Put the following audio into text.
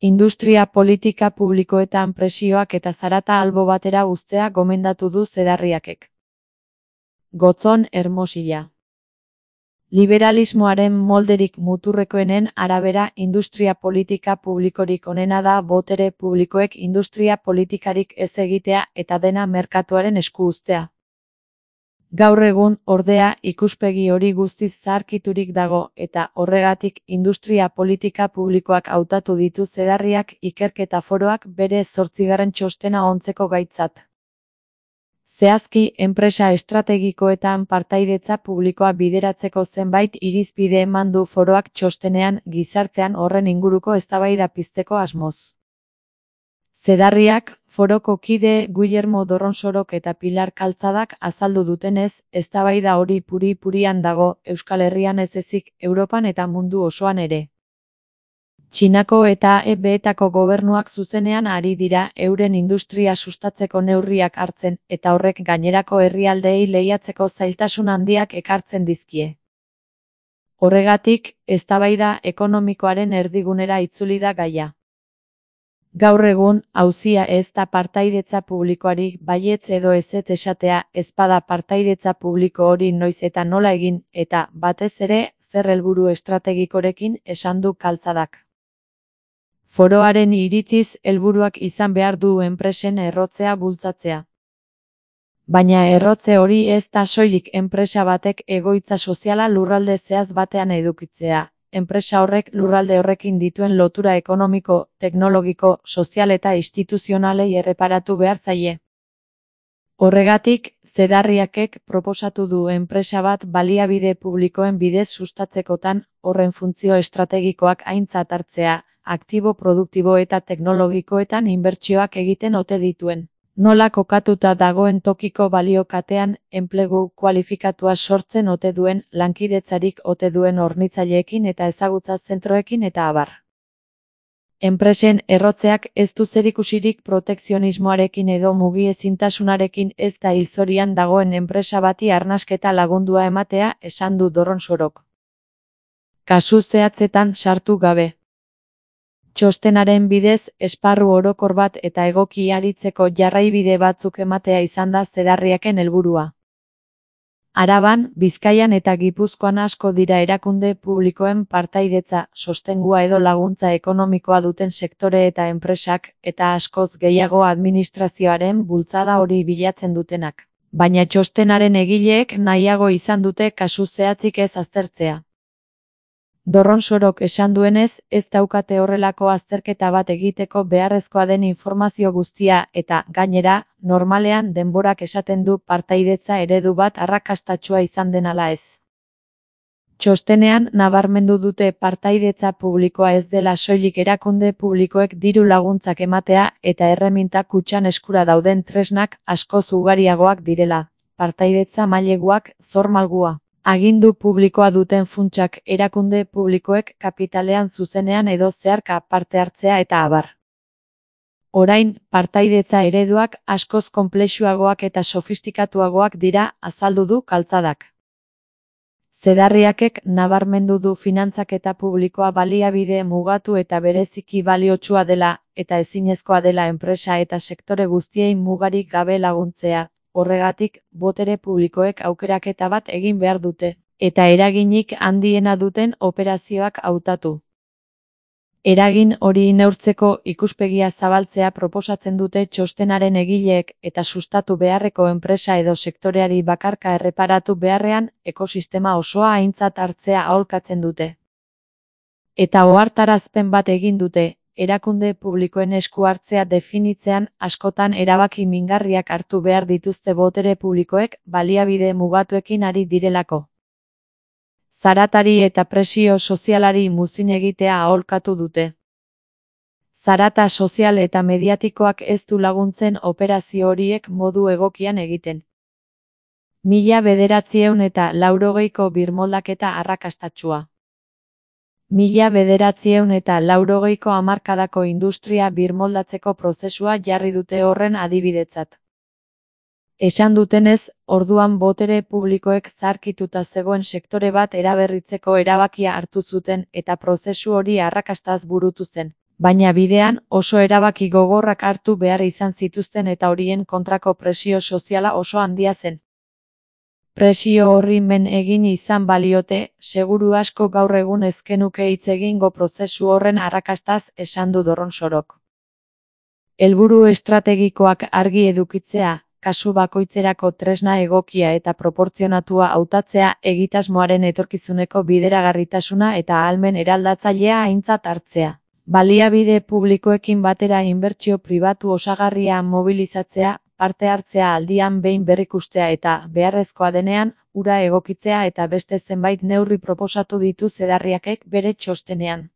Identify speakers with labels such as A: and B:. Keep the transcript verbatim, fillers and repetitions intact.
A: Industria politika publikoetan presioak eta zarata albo batera uztea gomendatu du Zedarriakek. Gotzon Hermosilla. Liberalismoaren molderik muturrekoenen arabera industria politika publikorik onena da botere publikoek industria politikarik ez egitea eta dena merkatuaren esku uztea. Gaur egun, ordea, ikuspegi hori guztiz zaharkiturik dago eta horregatik industria politika publikoak hautatu ditu Zedarriak ikerketa foroak bere zortzigarren txostena ontzeko gaitzat. Zehazki, enpresa estrategikoetan partaidetza publikoa bideratzeko zenbait irizpide eman du foroak txostenean gizartean horren inguruko eztabaida pizteko asmoz. Zedarriak, foroko kide Guillermo Dorronsorok eta Pilar Kaltzadak azaldu dutenez, eztabaida hori puri-purian dago Euskal Herrian ez ezik, Europan eta mundu osoan ere. Txinako eta E B'etako gobernuak zuzenean ari dira euren industria sustatzeko neurriak hartzen eta horrek gainerako herrialdeei lehiatzeko zailtasun handiak ekartzen dizkie. Horregatik, eztabaida ekonomikoaren erdigunera itzuli da gaia. Gaur egun, auzia ez da partaidetza publikoari baietz edo ezetz esatea, ezpada partaidetza publiko hori noiz eta nola egin, eta, batez ere, zer helburu estrategikorekin esan du Kaltzadak. Foroaren iritziz helburuak izan behar du enpresen errotzea bultzatzea. Baina errotze hori ez da soilik enpresa batek egoitza soziala lurralde zehaz batean edukitzea. Enpresa horrek lurralde horrekin dituen lotura ekonomiko, teknologiko, sozial eta instituzionalei erreparatu behar zaie. Horregatik, Zedarriakek proposatu du enpresa bat baliabide publikoen bidez sustatzekotan horren funtzio estrategikoak aintzat hartzea, aktibo produktibo eta teknologikoetan inbertsioak egiten ote dituen. Nola kokatuta dagoen tokiko baliokatean, enplegu kualifikatua sortzen ote duen, lankidetzarik ote duen hornitzaileekin eta ezagutza zentroekin eta abar. Enpresen errotzeak ez du zerikusirik protekzionismoarekin edo mugiezintasunarekin ez da hilzorian dagoen enpresa bati arnasketa lagundua ematea esan du Dorronsorok. Kasu zehatzetan sartu gabe. Txostenaren bidez, esparru orokor bat eta egoki aritzeko jarraibide batzuk ematea izan da Zedarriaken helburua. Araban, Bizkaian eta Gipuzkoan asko dira erakunde publikoen partaidetza, sostengua edo laguntza ekonomikoa duten sektore eta enpresak, eta askoz gehiago administrazioaren bultzada hori bilatzen dutenak. Baina txostenaren egileek nahiago izan dute kasu zehatzik ez aztertzea. Dorronsorok esan duenez, ez daukate horrelako azterketa bat egiteko beharrezkoa den informazio guztia eta, gainera, normalean denborak esaten du partaidetza eredu bat arrakastatsua izan den ala ez. Txostenean nabarmendu dute partaidetza publikoa ez dela soilik erakunde publikoek diru laguntzak ematea eta erreminta kutxan eskura dauden tresnak askoz ugariagoak direla, partaidetza maileguak, zor malgua. Agindu publikoa duten funtsak erakunde publikoek kapitalean zuzenean edo zeharka parte hartzea eta abar. Orain, partaidetza ereduak askoz konplexuagoak eta sofistikatuagoak dira azaldu du Kaltzadak. Zedarriakek nabarmendu du finantzaketa publikoa baliabide mugatu eta bereziki baliotsua dela eta ezinezkoa dela enpresa eta sektore guztiei mugarik gabe laguntzea. Horregatik, botere publikoek aukeraketa bat egin behar dute, eta eraginik handiena duten operazioak hautatu. Eragin hori neurtzeko ikuspegia zabaltzea proposatzen dute txostenaren egileek eta sustatu beharreko enpresa edo sektoreari bakarka erreparatu beharrean ekosistema osoa aintzat hartzea aholkatzen dute. Eta ohartarazpen bat egin dute. Erakunde publikoen esku hartzea definitzean askotan erabaki mingarriak hartu behar dituzte botere publikoek baliabide mugatuekin ari direlako. Zaratari eta presio sozialari muzin egitea aholkatu dute. Zarata sozial eta mediatikoak ez du laguntzen operazio horiek modu egokian egiten. Mila bederatziehun eta laurogeiko birmoldaketa arrakastatsua. Mila bederatziehun eta laurogeiko hamarkadako industria birmoldatzeko prozesua jarri dute horren adibidetzat. Esan dutenez, orduan botere publikoek zaharkituta zegoen sektore bat eraberritzeko erabakia hartu zuten eta prozesu hori arrakastaz burutu zen. Baina bidean oso erabaki gogorrak hartu behar izan zituzten eta horien kontrako presio soziala oso handia zen. Presio horri men egin izan baliote, seguru asko gaur egun ez genuke hitz egingo prozesu horren arrakastaz, esan du Dorronsorok. Helburu estrategikoak argi edukitzea, kasu bakoitzerako tresna egokia eta proportzionatua hautatzea, egitasmoaren etorkizuneko bideragarritasuna eta ahalmen eraldatzailea aintzat hartzea. Baliabide publikoekin batera inbertsio pribatu osagarria mobilizatzea, parte hartzea aldian behin berrikustea eta, beharrezkoa denean, hura egokitzea eta beste zenbait neurri proposatu ditu Zedarriakek bere txostenean.